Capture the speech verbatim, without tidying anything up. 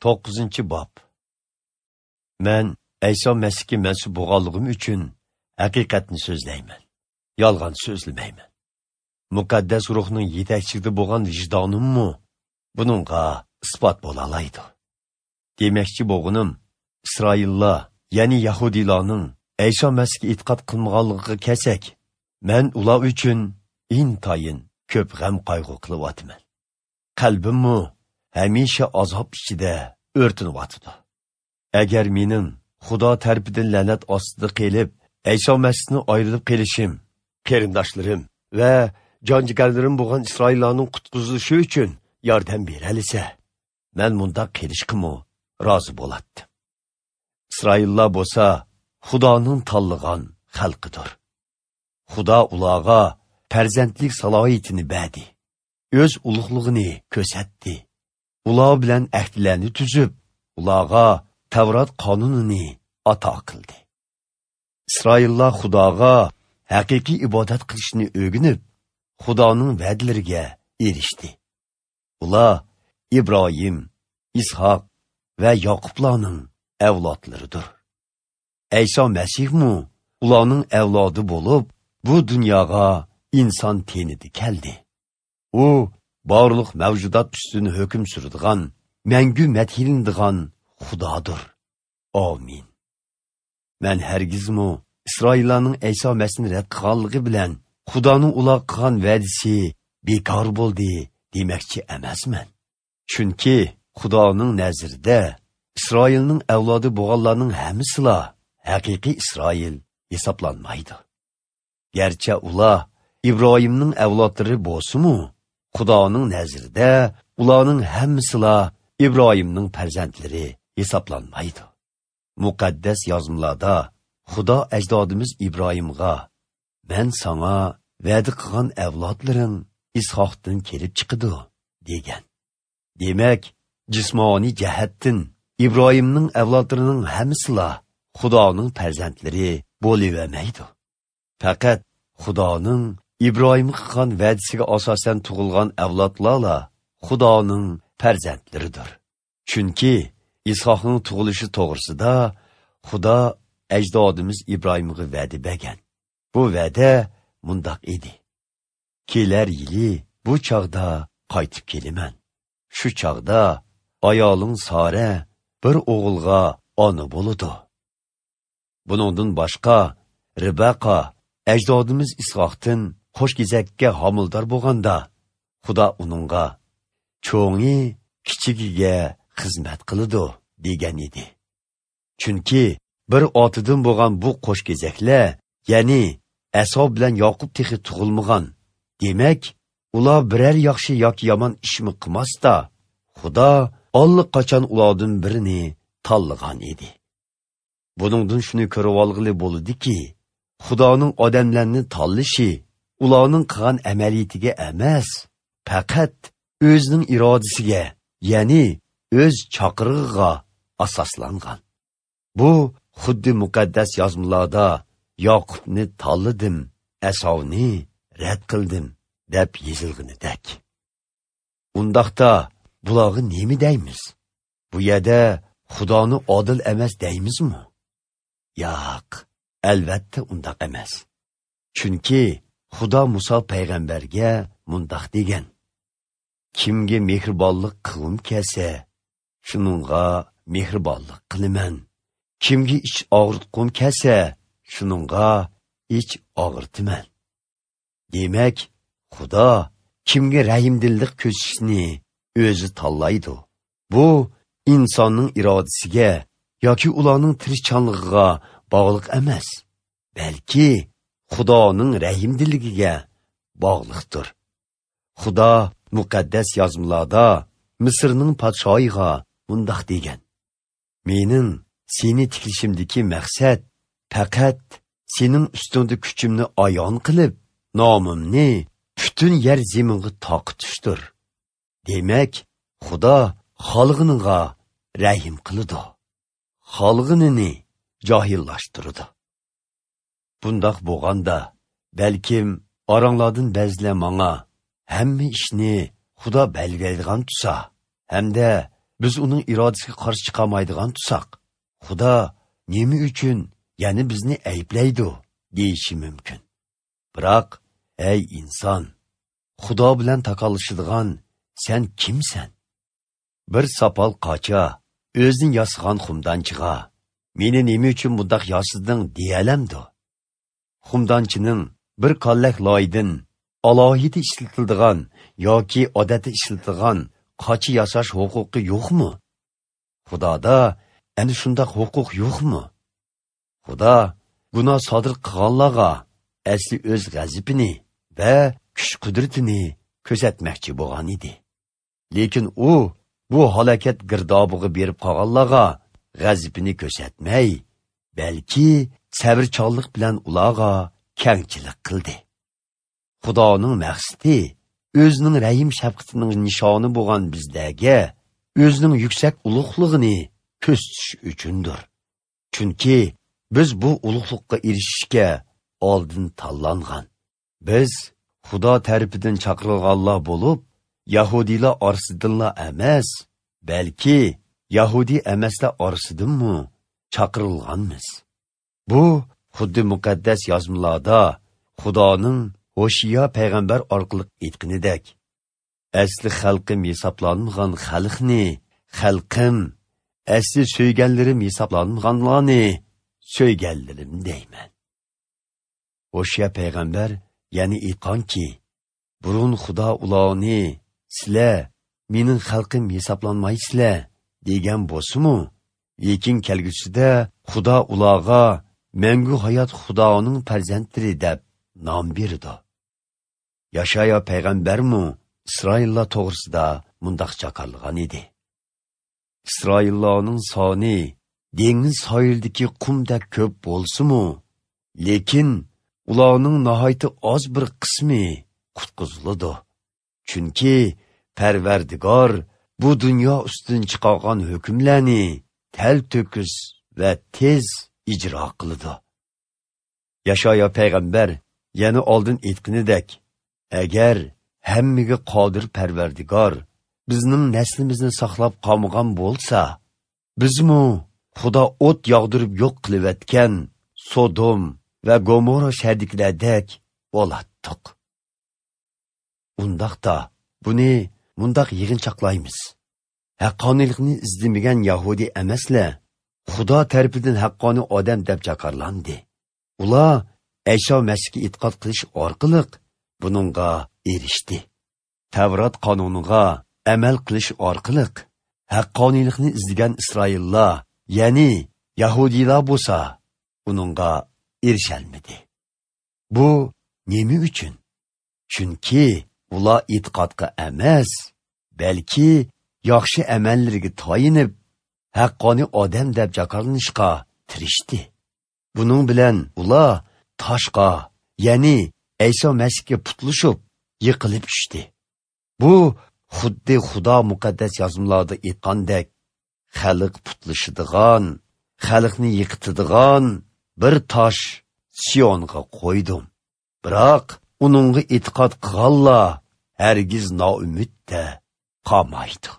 To'qqizinchi bob. Men Ayso Masihga mansub bo'lganligim uchun haqiqatni so'zlayman. Yolg'on so'zlamayman. Muqaddas ruhning yetakchiligida bo'lgan vijdonimmi buningga isbot bo'la oladi. Demakchi bo'lganim, Isroillar, ya'ni yahudiylarning Ayso Masihga e'tiqod qilmaganligiga kelsak, men ular uchun intayin ko'p g'am qayg'u qilyapman. Qalbimmi hamisha azob ichida o'rtinyotidi. Agar mening Xudo tarafidan la'nat ostida qelib, Ayso Masihni ayrilib qelishim, qarindoshlarim va jon-jigarlarim bo'lgan Isroillarning qutqizilishi uchun yordam beralisa, men bundaq qilishqimi rozi bo'latdim. Isroillar bo'lsa Xudoning tanlagan xalqidir. Xudo ularga farzandlik salohiyatini berdi. O'z ulug'lig'ini ko'rsatdi. Ular bilan ahdlarni tuzib, ularga Tavrat qonunini ato qildi. Isroillar Xudoga haqiqiy ibodat qilishni o'rganib, Xudoning va'dalariga erishdi. Ular Ibrohim, Ishoq va Yoqublarning avlodlaridir. Ayso Masihmi ularning avlodi bo'lib, bu dunyoga inson tenida keldi. U barliq mavjudot ustini hukm suradigan, mangu madhilanadigan Xudodir. Amin. Men hargizmi Isroillarning Ayso Masihni rad qilganligi bilan Xudoning ular qilgan va'dasi bekor bo'ldi demakchi emasman. Chunki Xudoning nazarida Isroilning avlodi bo'lganlarning hammasila haqiqiy Isroil hisoblanmaydi. Garchi ular Ibrohimning avlodlari bo'lsa-mu, Xudoning nazarida ularning hammasila Ibrohimning farzandlari hisoblanmaydi. Muqaddas yozmalarda Xudo ajdodimiz Ibrohimga: "Men sana va'da qilgan avlodlaring Ishoqdan kelib chiqadi" degan. Demak, jismoniy jihatdan Ibrohimning avlodlarining hammasila Xudoning farzandlari bo'lavermaydi. Faqat Xudoning Ibrohimga qilgan va'dasiga asosan tug'ilgan avlodlarla Xudoning farzandlaridir. Chunki Ishoqning tug'ilishi to'g'risida Xudo ajdodimiz Ibrohimga va'da bergan. Bu va'da mundaq edi: kelar yili bu chog'da qaytib kelaman. Shu chog'da ayoling Sara bir o'g'ilga ona bo'ladi. Buningdan boshqa Ribaqa ajdodimiz Ishoqdan qo'shgezakka homildor bo'lganda, Xudo uningga cho'ngi kichigiga xizmat qiladi degan edi. Chunki bir otidan bo'lgan bu qo'shgezaklar, ya'ni Aso bilan Yoqub texi tug'ilmagan. Demak, ular biror yaxshi yoki yomon ishmi qilmasda, Xudo allaqachon ulardan birini tanlagan edi. Buningdan shuni ko'rib olg'ili bo'ladiki, Xudoning odamlarni tanlashi ularning qilgan amaliyatiga emas, faqat o'zining irodasiga, ya'ni o'z chaqirig'iga asoslangan. Bu xuddi muqaddas yozmalarda Yoqubni tanladim, Asovni rad qildim deb yozilganidek. Undaqda bularga nima deymiz? Bu yerda Xudoni odil emas deymizmi? Yo'q, albatta undaq emas. Chunki Xudo Musa payg'ambarga mundaq degan: kimga mehribonlik qilgim kelsa, shuningga mehribonlik qilaman. Kimga ich og'ritqim kelsa, shuningga ich og'irtiman. Demak, Xudo kimga rahimdillik ko'rsatishni o'zi tanlaydi. Bu insonning irodasiga yoki ularning tirishchanligiga bog'liq emas, balki Xudoning rahimdilligiga bog'liqdir. Xudo muqaddas yozmalarda Misrning podshoyiga mundaq degan: mening seni tiklishimdagi maqsad faqat sening ustingda kuchimni ayon qilib, nomimni butun yer zaminga toqitishdir. Demak, Xudo xalqiniga rahim qiladi, xalqinini johillashtiradi. Bundaq bo'lganda, balkim oranglardan ba'zilar manga hamma ishni Xudo belgilaydigan tusa, hamda biz uning irodasiga qarshi chiqolmaydigan tusak, Xudo nima uchun yana bizni ayblaydi deyishi mumkin. Biroq, ey inson, Xudo bilan taqallashadigan sen kimsan? Bir sopol qocha o'zini yasagan xumdonchiga meni nima uchun bundaq yasading deyalamdi? Xumdonchining bir kallak loydan alohida ishlatiladigan yoki odatda ishlatilgan qocha yasash huquqi yo'qmi? Xudoda ana shundoq huquq yo'qmi? Xudo gunoh sodir qilganlarga asli o'z g'azabini va kuch qudratini ko'rsatmoqchi bo'lgan edi. Lekin u bu halokat girdobiga berib qolganlarga g'azabini ko'rsatmay, balki sabrchanlik bilan ularga kengchilik qildi. Xudoning maqsadi o'zining rahim shafqatining nishoni bo'lgan bizlarga o'zining yuksak ulug'lig'ini ko'rsatish uchundir. Chunki biz bu ulug'likka erishishga oldin tanlangan. Biz Xudo tarafidan chaqirilganlar bo'lib, Yahudiylar orasidanla emas, balki Yahudi emaslar orasidanmi chaqirilganmiz. Bu xuddi muqaddas yozmalarda Xudoning Hoshiya payg'ambar orqali aytganidek, asli xalqim hisoblanmagan xalqni xalqim, asli so'yganlarim hisoblanmaganlarni so'yganlarim deyman. Hoshiya payg'ambar ya'ni aytganki, burun Xudo ularni sizlar mening xalqim hisoblanmaysizlar degan bo'lsa-mu, lekin kelgusida Xudo ularga mangu hayot Xudoning farzandlari deb nom berdi. Yashaya payg'ambarmi Isroillar to'g'risida mundaq chaqirgan edi. Isroillarning soni dengiz sohilidagi qumdek ko'p bo'lsa-mu, lekin ularning nihoyatda oz bir qismi qutqiziladi. Chunki Parvardigor bu dunyo ustidan chiqargan hukmlarni tel to'kis va tez ijro qiladi. Yashaya payg'ambar yana oldin aytganidek, agar hammaga qodir Parvardigor bizning naslimizni saqlab qolmagan bo'lsa, bizmu Xudo o't yog'dirib yo'q qilayotgan Sodom va Gomorra shahridagilardek bo'latdiq. Undaqda buni mundaq yig'inchoqlaymiz. Haqqoniylikni izlamagan Yahudi emaslar Xudo tarafidan haqqoniy odam deb jakarlandi. Ular Ayso Masihga e'tiqod qilish orqali buningga erishdi. Tavrat qonuniga amal qilish orqali haqqoniylikni izlagan Isroillar, ya'ni Yahudiylar bo'lsa, uningga erisholmadi. Bu nima uchun? Chunki ular e'tiqodga emas, balki yaxshi amallarga tayinib, haqqoniy odam deb jakarlanishga tirishdi. Buning bilan ular toshqa, ya'ni Ayso Masihga putlashib, yiqilib tushdi. Bu xuddi Xudo muqaddas yozmalarda aytgandek, xalq putlashadigan, xalqni yiqitadigan bir tosh Siyonga qo'ydim. Biroq uningga e'tiqod qilganlar hargiz noumidda qolmaydi.